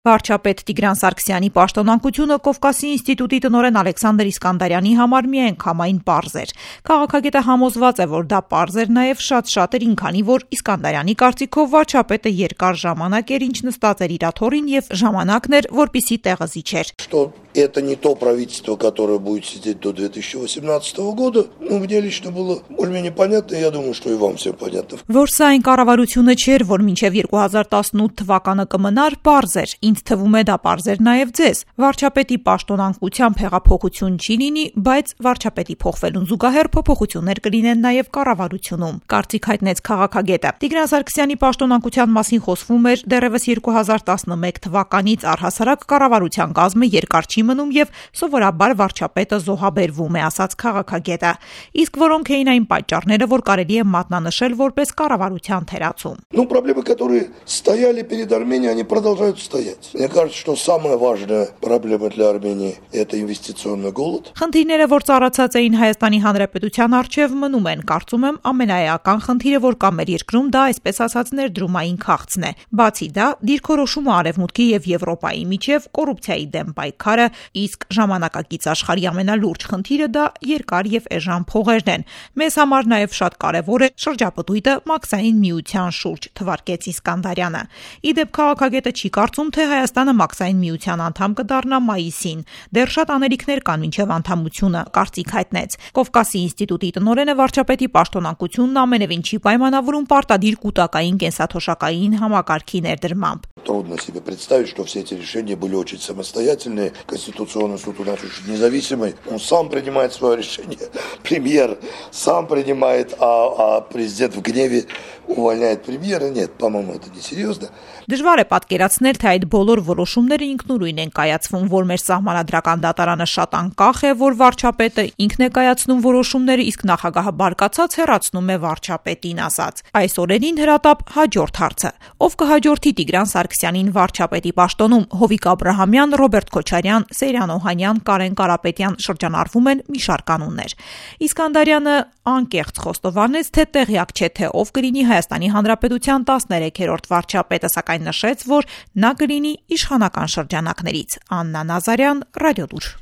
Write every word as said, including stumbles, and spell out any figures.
Վարչապետ Տիգրան Սարգսյանի պաշտոնանկությունը Կովկասի ինստիտուտի տնօրեն Ալեքսանդր Իսկանդարյանի համար միայն կամային պարզ էր։ Քաղաքագետը համոզված է, որ դա պարզ էր նաև շատ շատերին, քանի որ Իսկանդարյանի կարծիքով վարչապետը երկար ժամանակ էր, ինչ նստած էր իր աթոռին, եւ ժամանակն էր, որպիսի տեղը զիջեր։ Что это не то правительство, которое будет сидеть до две тысячи восемнадцатого года, ну, мне лично было более-менее понятно, я думаю, что и вам всем понятно. Որ սա այն կառավարությունը չէր, որ մինչև երկու հազար տասնութ թվականը կմնար, պարզ էր։ Ինձ թվում է դա պարզ էր նաև ձեզ։ Վարչապետի պաշտոնանկությամբ հեղափոխություն չի լինի, բայց վարչապետի փոխվելուն զուգահեռ փոփոխություններ կլինեն նաև կառավարությունում, կարծիք հայտնեց քաղաքագետը։ Տիգրան Սարգսյանի պաշտոնանկության մասին խոսվում էր դեռևս երկու հազար տասնմեկ թվականից, առհասարակ կառավարության կազմը երկար չի մնում եւ սովորաբար վարչապետը զոհաբերվում է, ասաց քաղաքագետը։ Իսկ որոնք էին այն պատճառները, որ կարելի է մատնանշել որպես կառավարության թերացում։ Ну, проблемы, которые стояли перед Арменией, они продолжают стоять. Мне кажется, что самая важная проблема для Армении – это инвестиционный голод. Խնդիրները, որ ծառացած էին Հայաստանի Հանրապետության առջև, մնում են, կարծում եմ, ամենաէական խնդիրը, որ կա մեր երկրում, դա այսպես ասած ներդրումային քաղցն է։ Բացի դա, դիրքորոշումը Արևմուտքի եւ Եվրոպայի միջև, կոռուպցիայի դեմ պայքարը, իսկ ժամանակակից աշխարհի ամենալուրջ խնդիրը դա երկար եւ էժան փողերն են։ Մեզ համար նաեւ շատ կարեւոր է շրջապտույտը մաքսային միության շուրջ, թվարկեց Իսկանդարյանը։ Իդեպ քաղաքագետը չի կարծում, թե Հայաստանը մաքսային միության անդամ կդառնա մայիսին։ Դեռ շատ անելիքներ կան մինչև անդամությունը, կարծիք հայտնեց։ Կովկասի ինստիտուտի տնօրենը վարչապետի պաշտոնանկությունն ամենևին չի պայմանավորում պարտադիր կൂട്ടակային կենսաթոշակային համակարգի ներդրմամբ։ Трудно себе представить, что все эти решения были очень самостоятельные. Конституционный суд у нас очень независимый. Он сам принимает свое решение. Премьер сам принимает, а, а президент в гневе увольняет премьера. Нет, по-моему, это несерьезно. Դժվար է պատկերացնել, թե այդ բոլոր որոշումները ինքնուրույն են կայացվում, որ մեր սահմանադրական դատարանը շատ անկախ է, որ վարչապետը ինքն է կայացնում որոշումները, իսկ նախագահը բարկացած հեռացնում է վարչապետին, ասաց։ Այս օրերին հրատապ հաջորդ հարցը. ով կհաջորդի Տիգրան Սարգսյանին վարչապետի պաշտոնում։ Հովիկ Աբրահամյան, Ռոբերտ Քոչարյան, Սեյրան Օհանյան, Կարեն Կարապետյան շրջանառվում են մի շարք անուններ։ Իսկանդարյանը անկեղծ խոստովանեց, թե տեղյակ չէ, թե ով կլինի Հայաստանի Հանրապետության տասներեքերորդ վարչապետը, սակայն նշեց, որ նա կլինի իշխանական շրջանակներից։ Աննա Նազարյան, Ռադիոլուր։